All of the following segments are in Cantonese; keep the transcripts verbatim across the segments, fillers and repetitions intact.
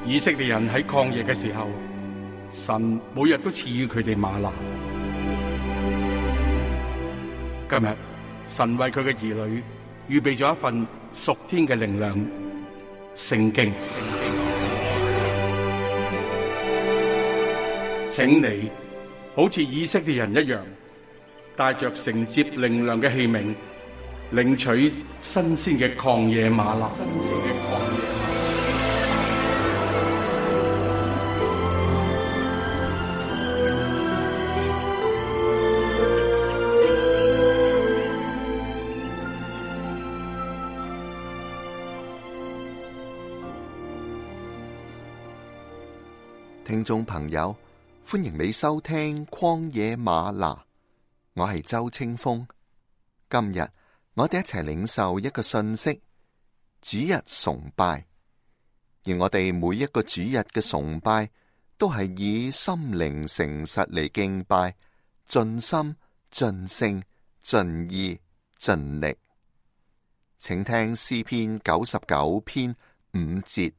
以色列人喺曠野嘅時候，神每日都賜予佢哋嗎哪。今日神為佢嘅兒女預備咗一份屬天嘅靈糧——聖經。請你好似以色列人一樣，帶着承接靈糧嘅器皿，領取新鮮嘅曠野嗎哪。新鮮嘅曠野嗎哪。聽眾朋友，歡迎你收聽曠野嗎哪，我係周清風。今日我哋一齊領受一個訊息：主日崇拜。而我哋每一個主日嘅崇拜，都係以心靈誠實嚟敬拜，盡心、盡性、盡意、盡力。請聽詩篇九十九篇五節。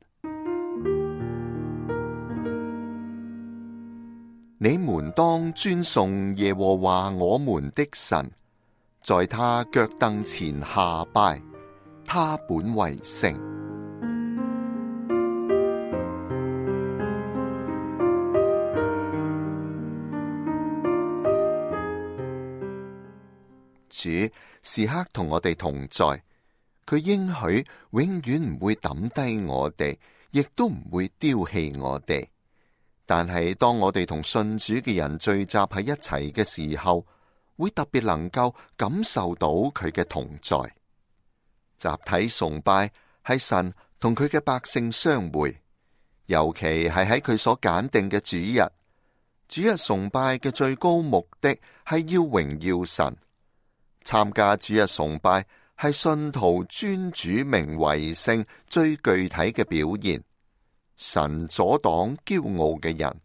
你們當尊崇耶和華我們的神，在他腳凳前下拜，他本為聖。主時刻同我哋同在，佢應許永遠唔會抌低我哋，亦都唔會丟棄我哋。但係當我哋同信主嘅人聚集喺一齊嘅時候，會特別能夠感受到佢嘅同在。集體崇拜係神同佢嘅百姓相會，尤其係喺佢所揀定嘅主日。主日崇拜嘅最高目的係要榮耀神。參加主日崇拜係信徒尊主名為聖最具體嘅表現。神阻擋驕傲嘅人，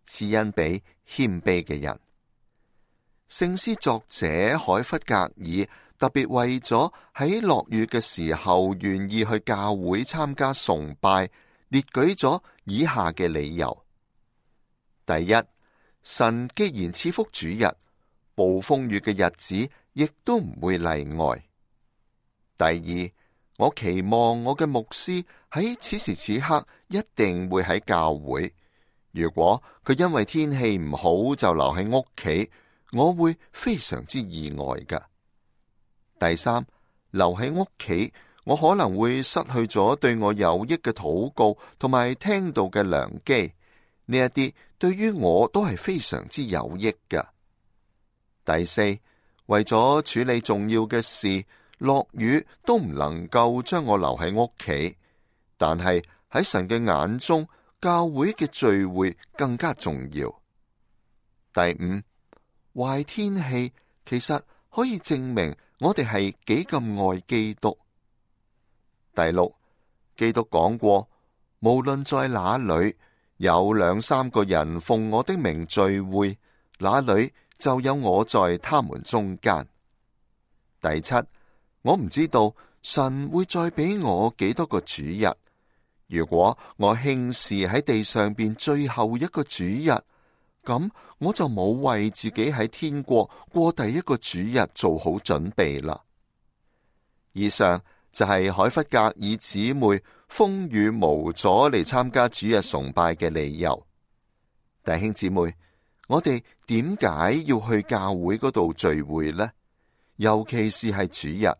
賜恩俾謙卑嘅人。聖詩作者海弗格爾特別為咗喺落雨嘅時候願意去教會參加崇拜，列舉咗以下嘅理由：第一，神既然賜福主日，暴風雨嘅日子亦都唔會例外。第二，我期望我嘅牧師喺此時此刻一定會喺教會。如果佢因為天氣唔好就留喺屋企，我會非常之意外㗎。第三，留喺屋企，我可能會失去咗對我有益嘅禱告同埋聽道嘅良機。呢一啲對於我都係非常之有益㗎。第四，為咗處理重要嘅事，落雨都唔能夠將我留喺屋企，但係喺神嘅眼中，教會嘅聚會更加重要。第五，壞天氣其實可以證明我哋係幾咁愛基督。第六，基督講過，無論在哪裏有兩三個人奉我的名聚會，那裏就有我在他們中間。第七，我唔知道神會再俾我幾多個主日。如果我輕視喺地上邊最後一個主日，咁我就冇為自己喺天國過第一個主日做好準備啦。以上就係海弗格爾姊妹風雨無阻嚟參加主日崇拜嘅理由。弟兄姊妹，我哋點解要去教會嗰度聚會呢？尤其是係主日，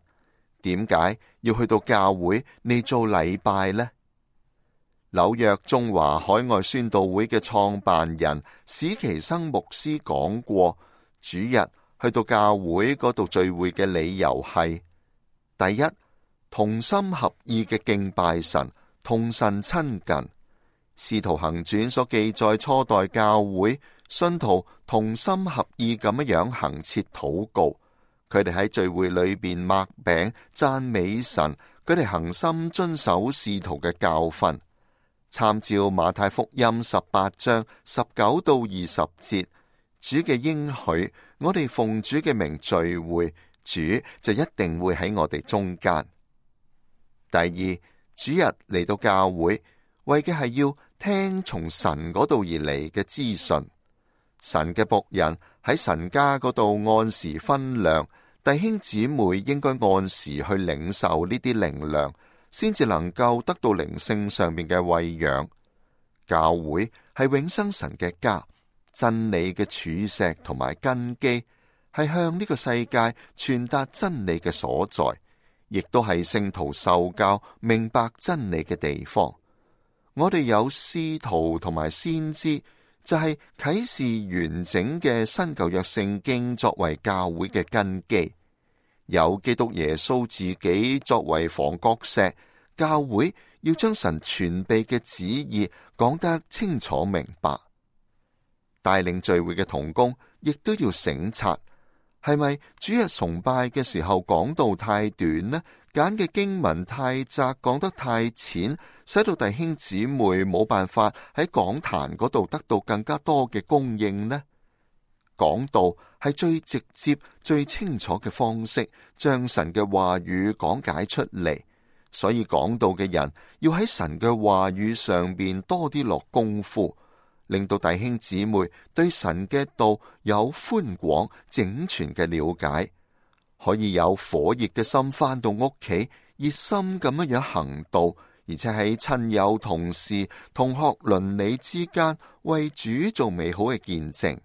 點解要去到教會嚟做禮拜呢？紐約中華海外宣道會嘅創辦人史奇生牧師講過，主日去到教會嗰度聚會嘅理由係：第一，同心合意嘅敬拜神，同神親近。使徒行傳所記載初代教會信徒同心合意咁樣行切禱告，佢哋喺聚會裏邊擘餅讚美神，佢哋恒心遵守使徒嘅教訓。參照馬太福音十八章十九到二十節，主嘅應許，我哋奉主嘅名聚會，主就一定會喺我哋中間。第二，主日嚟到教會，為嘅係要聽從神嗰度而嚟嘅資訊。神嘅僕人喺神家嗰度按時分糧，弟兄姊妹應該按時去領受呢啲靈糧，先至能夠得到靈性上面嘅餵養。教會係永生神嘅家，真理嘅柱石同埋根基，係向呢個世界傳達真理嘅所在，亦都係聖徒受教明白真理嘅地方。我哋有使徒同埋先知，就係啟示完整嘅新舊約聖經作為教會嘅根基，有基督耶穌自己作為房角石。教會要將神全備嘅旨意講得清楚明白。帶領聚會嘅同工亦都要省察，係咪主日崇拜嘅時候講道太短呢？揀嘅經文太窄，講得太淺，使到弟兄姊妹冇辦法喺講壇嗰度得到更加多嘅供應呢？講道係最直接、最清楚嘅方式，將神嘅話語講解出嚟。所以講道嘅人要喺神嘅話語上邊多啲落功夫，令到弟兄姊妹對神嘅道有寬廣整全嘅了解，可以有火熱嘅心返到屋企，熱心咁樣樣行道，而且喺親友、同事、同學、鄰里之間為主做美好嘅見證。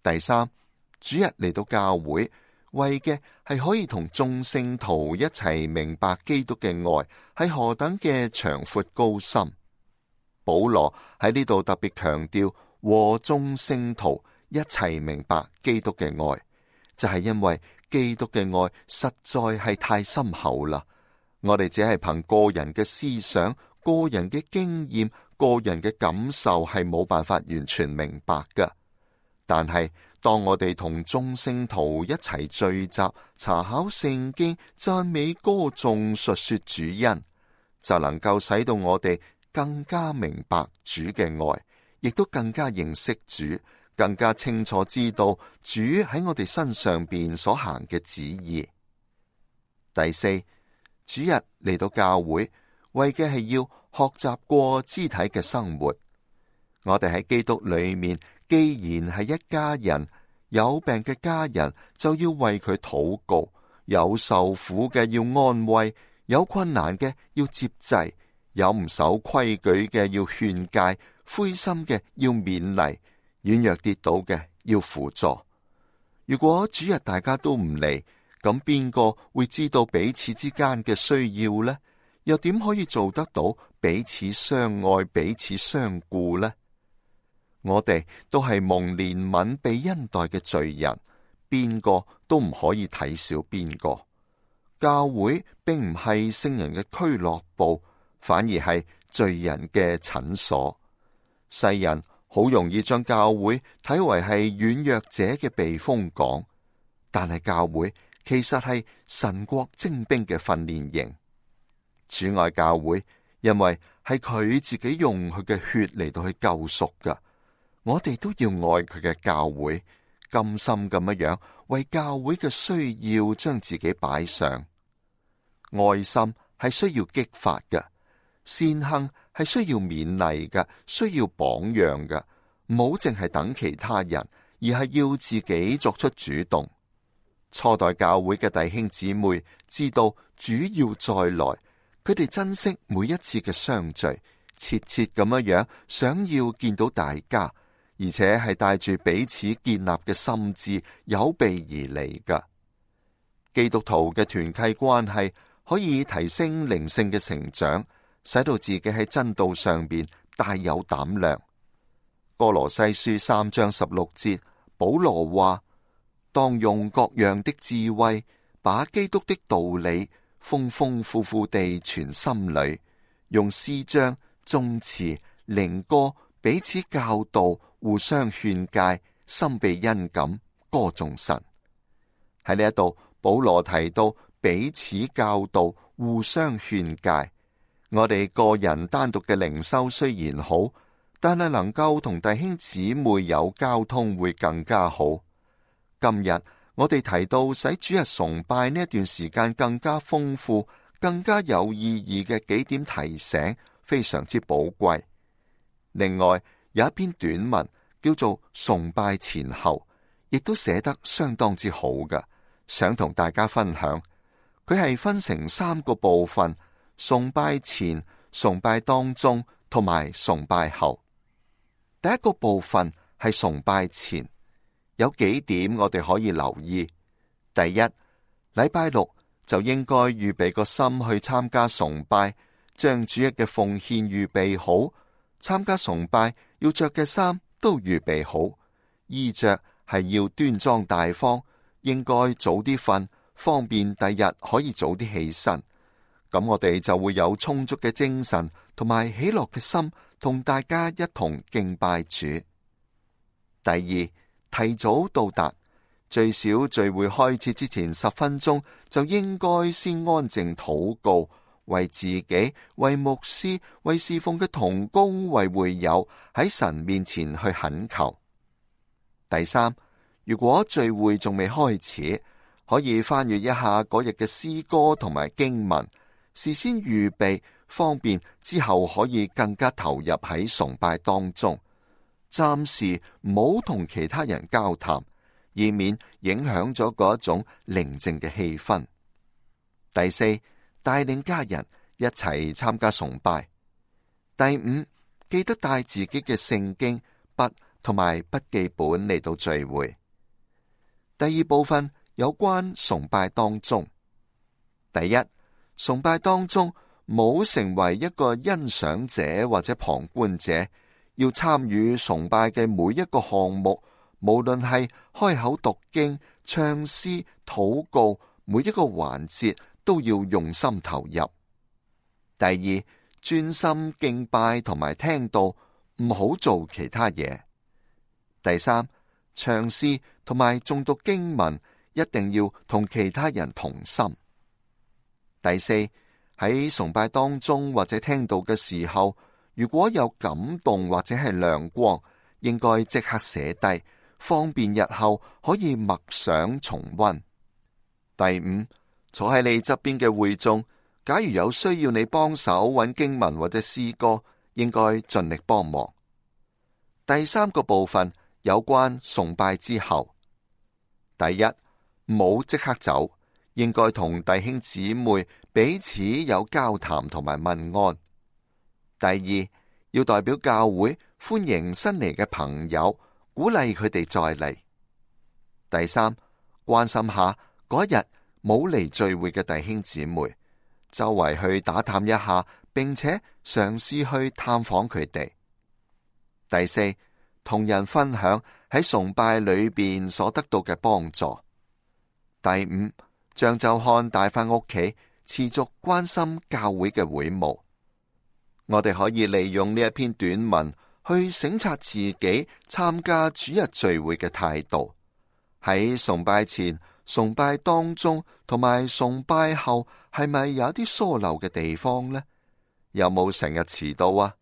第三，主日嚟到教會，為嘅係可以同眾聖徒一齊明白基督嘅愛係何等嘅長闊高深。保羅喺呢度特別強調和眾聖徒一齊明白基督嘅愛，就係因為基督嘅愛實在係太深厚啦。我哋只係憑個人嘅思想、個人嘅經驗、個人嘅感受係冇辦法完全明白㗎。但係當我哋同眾聖徒一齊聚集，查考聖經、讚美歌頌、述說主恩，就能夠使到我哋更加明白主嘅愛，亦都更加認識主，更加清楚知道主喺我哋身上邊所行嘅旨意。第四，主日嚟到教會，為嘅係要學習過肢體嘅生活。我哋喺基督裏面，既然係一家人，有病嘅家人就要為佢禱告，有受苦嘅要安慰，有困難嘅要接濟，有唔守規矩嘅要勸誡，灰心嘅要勉勵，軟弱跌倒嘅要輔助。如果主日大家都唔嚟，咁邊個會知道彼此之間嘅需要呢？又點可以做得到彼此相愛、彼此相顧呢？我哋都係蒙憐憫、被恩待嘅罪人，邊個都唔可以睇小邊個。教會並唔係聖人嘅俱樂部，反而係罪人嘅診所。世人好容易將教會睇為係軟弱者嘅避風港，但係教會其實係神國精兵嘅訓練營。主愛教會，因為係佢自己用佢嘅血嚟到去救贖噶。我哋都要愛佢嘅教會，甘心咁樣樣為教會嘅需要將自己擺上。愛心係需要激發嘅，善行係需要勉勵嘅，需要榜樣嘅。唔好淨係等其他人，而係要自己作出主動。初代教會嘅弟兄姊妹知道主要再來，佢哋珍惜每一次嘅相聚，切切咁樣樣想要見到大家。而且係帶住彼此建立嘅心志，有備而嚟㗎。基督徒嘅團契關係可以提升靈性嘅成長，使到自己喺真道上邊大有膽量。歌羅西書三章十六節，保羅話：當用各樣的智慧，把基督的道理豐豐富富地存心裏，用詩章、頌詞、靈歌彼此教導，互相勸誡，心被恩感，歌頌神。喺呢一度，保羅提到彼此教導，互相勸誡。我哋個人單獨嘅靈修雖然好，但係能夠同弟兄姊妹有交通會更加好。今日我哋提到使主日崇拜呢一段時間更加豐富、更加有意義嘅幾點提醒，非常之寶貴。另外有一篇短文叫做《崇拜前後》，亦都寫得相當之好嘅，想同大家分享。佢係分成三個部分：崇拜前、崇拜當中同埋崇拜後。第一個部分係崇拜前，有幾點我哋可以留意。第一，禮拜六就應該預備個心去參加崇拜，將主日嘅奉獻預備好。參加崇拜要着嘅衫都預備好，衣着係要端莊大方，應該早啲瞓，方便第日可以早啲起身。咁我哋就會有充足嘅精神同埋喜樂嘅心，同大家一同敬拜主。第二，提早到達，最少聚會開始之前十分鐘就應該先安靜禱告，為自己、為牧師、為侍奉嘅同工、為會友喺神面前去懇求。第三，如果聚會仲未開始，可以翻閱一下嗰日嘅詩歌同埋經文，事先預備，方便之後可以更加投入喺崇拜當中。暫時唔好同其他人交談，以免影響咗嗰一種寧靜嘅氣氛。第四，帶領家人一齊參加崇拜。第五，記得帶自己嘅聖經、筆同埋筆記本嚟到聚會。第二部分有關崇拜當中。第一，崇拜當中冇成為一個欣賞者或者旁觀者，要參與崇拜嘅每一個項目，無論係開口讀經、唱詩、禱告，每一個環節都要用心投入。第二，專心敬拜同埋聽道，唔好做其他嘢。第三，唱詩同埋誦讀經文一定要同其他人同心。第四，喺崇拜當中或者聽道嘅時候，如果有感動或者係亮光，應該即刻寫低，方便日後可以默想重溫。第五，坐喺你側邊嘅會眾，假如有需要你幫手揾經文或者詩歌，應該盡力幫忙。第三個部分有關崇拜之後。第一，唔好即刻走，應該同弟兄姊妹彼此有交談同埋問安。第二，要代表教會歡迎新嚟嘅朋友，鼓勵佢哋再嚟。第三，關心下嗰日冇嚟聚會嘅弟兄姊妹，周圍去打探一下，並且嘗試去探訪佢哋。第四，同人分享喺崇拜裏邊所得到嘅幫助。第五，將周刊帶返屋企，持續關心教會嘅會務。我哋可以利用呢一篇短文去省察自己參加主日聚會嘅態度。喺崇拜前、崇拜當中同埋崇拜後，係咪有啲疏漏嘅地方呢？有冇成日遲到啊？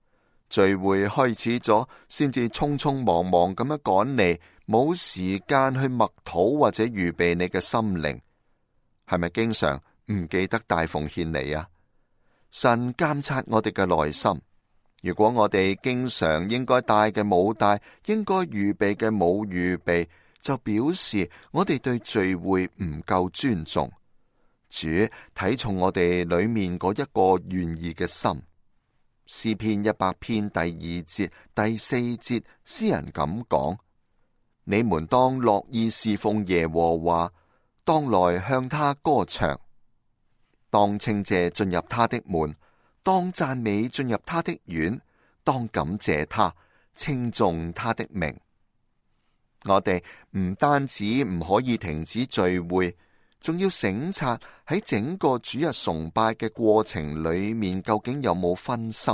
聚會開始咗，先至匆匆忙忙咁樣趕嚟，冇時間去默禱或者預備你嘅心靈。係咪經常唔記得帶奉獻嚟啊？神監察我哋嘅內心，如果我哋經常應該帶嘅冇帶，應該預備嘅冇預備，就表示我哋對聚會唔夠尊重。主睇重我哋裏面嗰一個願意嘅心。詩篇一百篇第二節、第四節，詩人咁講：你們當樂意侍奉耶和華，當來向他歌唱。當稱謝進入他的門，當讚美進入他的院，當感謝他，稱頌他的名。我哋唔單止唔可以停止聚會，仲要省察喺整個主日崇拜嘅過程裏面，究竟有冇分心？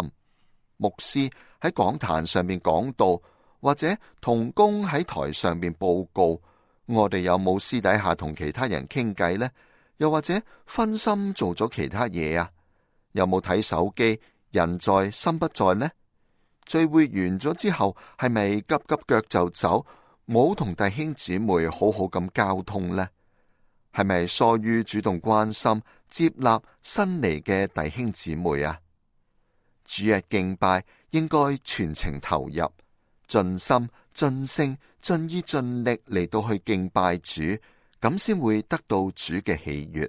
牧師喺講壇上面講道，或者同工喺台上面報告，我哋有冇私底下同其他人傾偈呢？又或者分心做咗其他嘢啊？有冇睇手機？人在心不在呢？聚會完咗之後，係咪急急腳就走，冇同弟兄姊妹好好咁交通呢？係咪疏於主動關心接納新嚟嘅弟兄姊妹啊？主日敬拜應該全情投入，盡心、盡性、盡意、盡力嚟到去敬拜主，咁先會得到主嘅喜悅。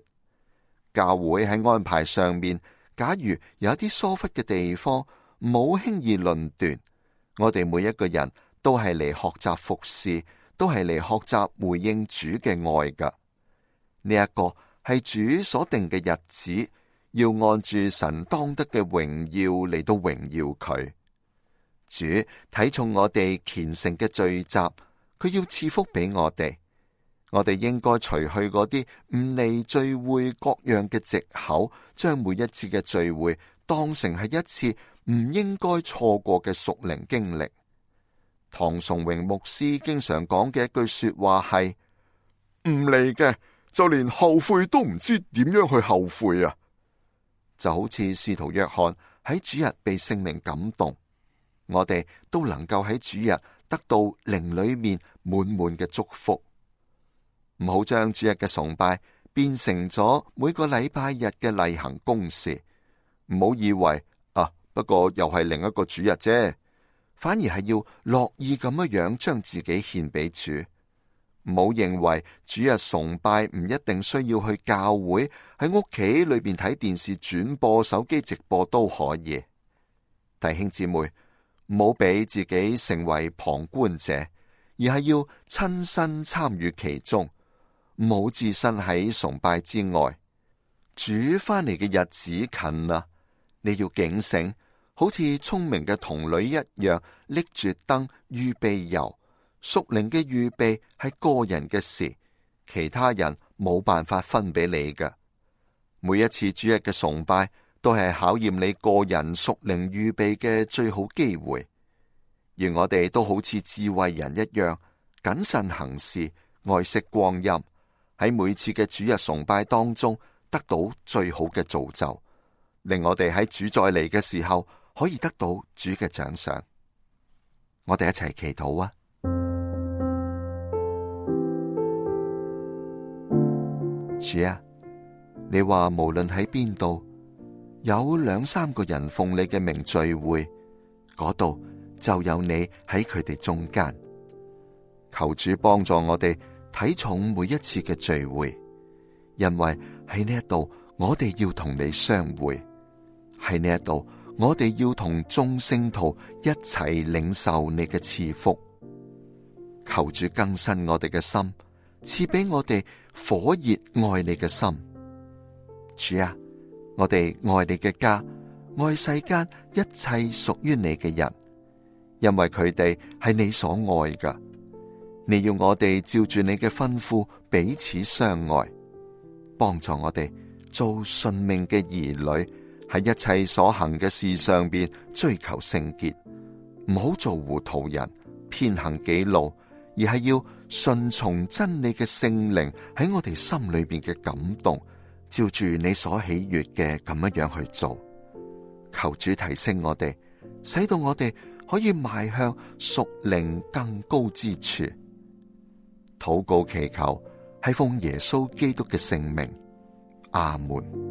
教會喺安排上面，假如有一啲疏忽嘅地方，唔好輕易論斷。我哋每一個人都係嚟學習服侍，都係嚟學習回應主嘅愛㗎。呢一個係主所定嘅日子，要按住神當得嘅榮耀嚟到榮耀佢。主睇重我哋虔誠嘅聚集，佢要賜福俾我哋。我哋應該除去嗰啲唔嚟聚會各樣嘅藉口，將每一次嘅聚會當成係一次唔應該錯過嘅屬靈經歷。唐崇榮牧師經常講嘅一句說話係：唔嚟嘅就連後悔都唔知點樣去後悔啊！就好似使徒約翰喺主日被聖靈感動，我哋都能夠喺主日得到靈裏面滿滿嘅祝福。唔好將主日嘅崇拜變成咗每個禮拜日嘅例行公事，唔好以為啊，不過又係另一個主日啫，反而係要樂意咁樣樣將自己獻俾主。唔好認為主日崇拜唔一定需要去教會，喺屋企裏邊睇電視轉播、手機直播都可以。弟兄姊妹，唔好俾自己成為旁觀者，而係要親身參與其中。唔好置身喺崇拜之外。主翻嚟嘅日子近啦，你要警醒，好似聰明嘅童女一樣，拎住燈預備油。屬靈嘅預備係個人嘅事，其他人冇辦法分俾你嘅。每一次主日嘅崇拜都係考驗你個人屬靈預備嘅最好機會。而我哋都好似智慧人一樣，謹慎行事，愛惜光陰，喺每次嘅主日崇拜當中得到最好嘅造就，令我哋喺主再嚟嘅時候可以得到主嘅獎賞。我哋一齊祈禱啊！主啊，你話無論喺邊度有兩三個人奉你嘅名聚會，嗰度就有你喺佢哋中間。求主幫助我哋睇重每一次嘅聚會，因為喺呢一度我哋要同你相會，喺呢一度我哋要同眾聖徒一齊領受你嘅賜福。求主更新我哋嘅心，賜俾我哋火熱愛你嘅心。主啊，我哋愛你嘅家，愛世間一切屬於你嘅人，因為佢哋係你所愛㗎。你要我哋照住你嘅吩咐彼此相愛，幫助我哋做順命嘅兒女，喺一切所行嘅事上邊追求聖潔，唔好做糊塗人，偏行己路，而係要順從真理嘅聖靈喺我哋心裏邊嘅感動，照住你所喜悅嘅咁樣樣去做。求主提升我哋，使到我哋可以邁向屬靈更高之處。禱告祈求係奉耶穌基督嘅聖名，阿門。